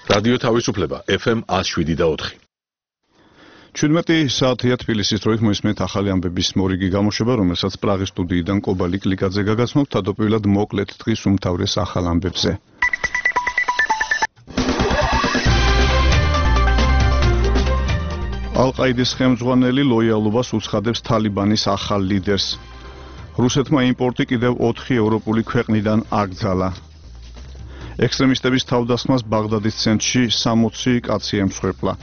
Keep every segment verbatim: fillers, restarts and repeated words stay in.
რადიო თავისუფლება ეფ ემ ათს შვიდი და ოთხი. ჩვიდმეტი საათია თბილისის დროით მოისმენთ ახალი ამბების მორიგი გამოშვება, რომელსაც პრაღის სტუდიიდან კობა ლიკლიკაძე გაგაცნობთ, თავდაპირველად მოკლედ დღის უმთავრეს ახალ ამბებზე. ალ-ყაიდის ხელმძღვანელი ლოიალობას უცხადებს თალიბანის ახალ ლიდერს. რუსეთმა იმპორტი კიდევ ოთხი ევროპული ქვეყნიდან აკრძალა. ექსტრემისტების თავდასხმას ბაღდადის ცენტრში სამოცი კაცი ემსხვერპლა.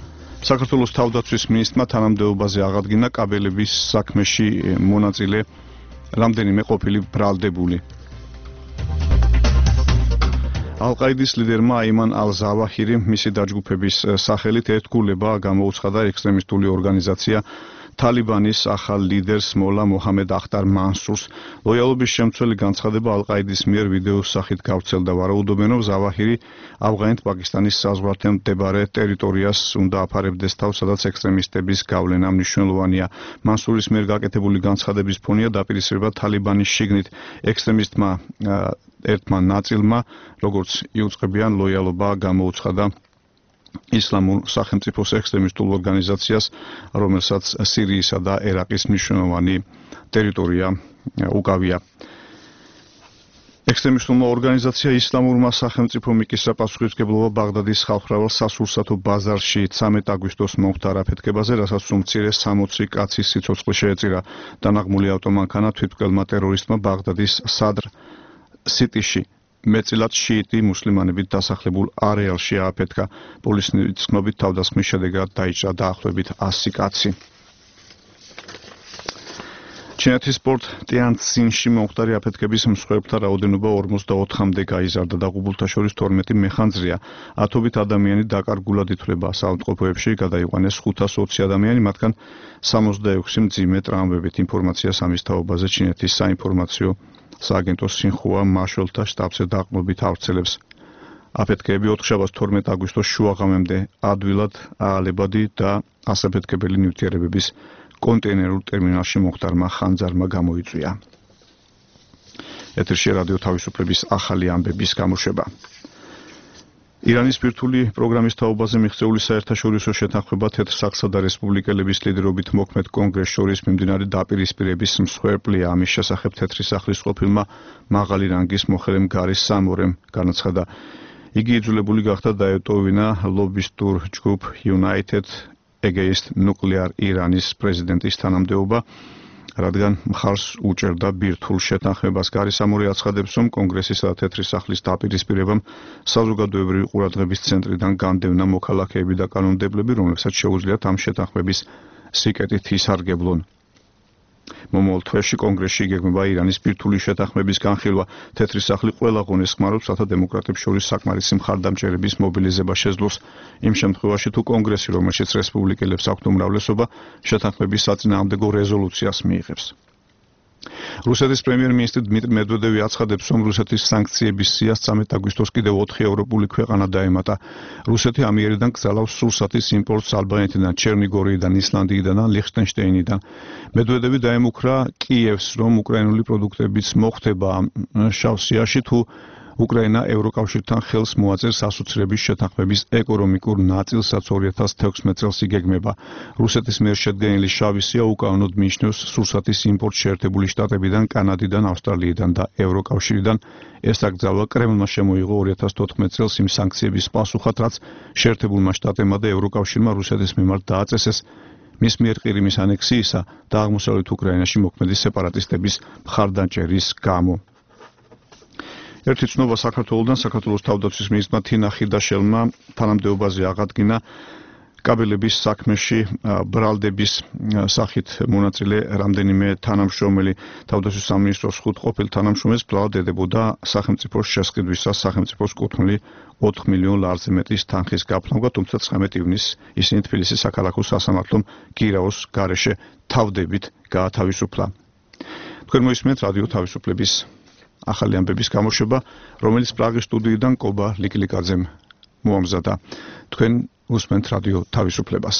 საქართველოს თავდაცვის მინისტრმა თანამდებობაზე აღადგინა კაბელების საქმეში მონაწილე რამდენიმე ყოფილი ბრალდებული. ალ-ყაიდის ლიდერმა აიმან ალ-ზავაჰირი მისი დაჯგუფების სახელით ერთგულება გამოუცხადა ექსტრემისტული ორგანიზაცია თალიბანის ახალ ლიდერს მოლა მოჰამედ ახტარ მანსურს. ლოიალობის შემცველი განცხადება ალ-ყაიდის მიერ ვიდეოს სახით გავრცელდა. ვარაუდობენ, რომ ზავაჰირი ავღანეთ-პაკისტანის საზღვართან მდებარე ტერიტორიას უნდა აფარებდეს თავს, სადაც ექსტრემისტების გავლენა მნიშვნელოვანია. მანსურის მიერ გაკეთებული განცხადების ფონია დაპირისპირება თალიბანის შიგნით ექსტრემისტმა ერთმა ნაწილმა, როგორც იუწყებიან, ლოიალობა გამოუცხადა ისლამურ სახელმწიფოს ექსტრემისტულ ორგანიზაციას, რომელსაც სირიისა და ერაყის მნიშვნელოვანი ტერიტორია უკავია. ექსტრემისტულმა ორგანიზაცია ისლამურმა სახელმწიფომ იკისრა პასუხისმგებლობა ბაღდადის ხალხმრავალ სასურსათო ბაზარში ცამეტ აგვისტოს მომხდარ აფეთქებაზე, რასაც უმცირე სამოცი კაცის სიცოცხლე შეეწირა. დანაღმული ავტომანქანა თვითმკვლელმა ტერორისტმა ბაღდადის სადრ სიტიში მეწილად შიიტი მუსლიმანებით დასახლებულ არეალში ააფეთქა. პოლიციის ცნობით თავდასხმის შედეგად დაიჭრა დაახლოებით ასი კაცი. ჩინეთის პორტ ტიანცინში მომხდარი აფეთქების მსხვერპლთა რაოდენობა ორმოცდაოთხამდე გაიზარდა. დაღუპულთა შორის თორმეტი მეხანძრია. ათობით ადამიანი დაკარგულად ითვლება საავადმყოფოებში, გადაიყვანეს ხუთას ოცი ადამიანი, მათგან სამოცდაექვსი მძიმე ტრამვებით. ინფორმაციას ამის თაობაზე ჩინეთის საინფორმაციო სააგენტო სინხუა მაშველთა შტაბზე დაყრდნობით ავრცელებს. აფეთქეები ოთხშაბათს თორმეტ აგვისტოს შუაღამემდე ადვილად აალებადი და ასაფეთქებელი ნივთიერებების კონტეინერულ ტერმინალში მომხდარმა ხანძარმა გამოიწვია. ეთერში რადიო თავისუფლების ახალი ამბების გამოშვება. ირანის ბირთვული პროგრამის თაობაზე მიღწეული საერთაშორისო შეთანხმება თეთრ საყსა და რესპუბლიკელების ლიდერობით მოქმედ კონგრესს შორის მიმდინარე დაპირისპირების მსხვერპლია. ამის შესახებ თეთრი სახლის ყოფილმა მაღალი რანგის მოხელემ გარის სამორემ განაცხადა. იგი იძულებული გახდა დაეტოვინა ლობისტურ ჯგუფ United Against Nuclear Iranis პრეზიდენტის თანამდებობა, რადგან მხარს უჭერდა ბირთვულ შეთანხმებას. გარის სამორე აცხადებს, რომ კონგრესისა და თეთრი სახლის დაპირისპირებამ საზოგადოებრივი ყურადღების ცენტრიდან განდევნა მოქალაქეები და კანონმდებლები, რომლებსაც შეუძლიათ ამ შეთანხმების სიკეტით ისარგებლონ. მომავალ თვეში კონგრესში იგეგმება ირანის ბირთვული შეთანხმების განხილვა. თეთრი სახლი ყველა ღონეს ხმარობს, რათა დემოკრატებს შორის საკმარისი მხარდამჭერების მობილიზება შეძლოს. იმ შემთხვევაში, თუ კონგრესი, რომელშიც რესპუბლიკელებს აქვთ უმრავლესობა, შეთანხმების საწინააღმდეგო რეზოლუციას მიიღებს. რუსეთის პრემიერ-მინისტრი დმიტრი მედვედევი აცხადებს, რომ რუსეთის სანქციების სიას ცამეტ აგვისტოს კიდევ ოთხი ევროპული ქვეყანა დაემატა. რუსეთი ამიერიდან გზავნავს სურსათის იმპორტს ალბანეთიდან, ჩერნიგორიიდან, ისლანდიიდან და ლიხტენშტეინიდან. მედვედევი დაემუქრა კიევს, რომ უკრაინული პროდუქტების მოხდება შავ სიაში, თუ უკრაინა ევროკავშირთან ხელს მოაწერს ასოცირების შეთანხმების ეკონომიკურ ნაწილსაც ორი ათას თექვსმეტ წელს იგეგმება. რუსეთის მიერ შედგენილი შავი სია უკანონოდ მიიჩნევს სურსათის იმპორტს შეერთებული შტატებიდან, კანადიდან, ავსტრალიიდან და ევროკავშირიდან. ეს აკრძალვა კრემლმა შემოიღო ორი ათას თოთხმეტ წელს იმ სანქციების პასუხად, რაც შეერთებულმა შტატებმა და ევროკავშირმა რუსეთის მიმართ დააწესეს მის მიერ ყირიმის ანექსიისა და აღმოსავლეთ უკრაინაში მოქმედი სეპარატისტების მხარდამჭერის გამო. ერთი ცნობა საქართველოსთან საქართველოს თავდაცვის მინისტრმა თინა ხიდაშელმა თანამდებობაზე აღადგინა კაბელების საქმეში ბრალდების სახით მონაწილე რამდენიმე თანამშრომელი. თავდაცვის სამინისტროს ხუთ ყოფილ თანამშრომელს ბრალად ედებოდა სახელმწიფოს შესყიდვისას სახელმწიფოს კუთვნილი ოთხ მილიონ ლარზე მეტის თანხის გაფრთხილება, თუმცა ცხრამეტ ივნისს ისინი თბილისის საქალაქო სასამართლომ გირაოს გარეშე თავდებით გაათავისუფლა. თქვენ მოისმენთ რადიო თავისუფლების ახალი ამბების გამოშვება, რომელიც პრაღის სტუდიიდან კობა ლიკლიკაძემ მოამზადა. თქვენ უსმენთ რადიო თავისუფლებას.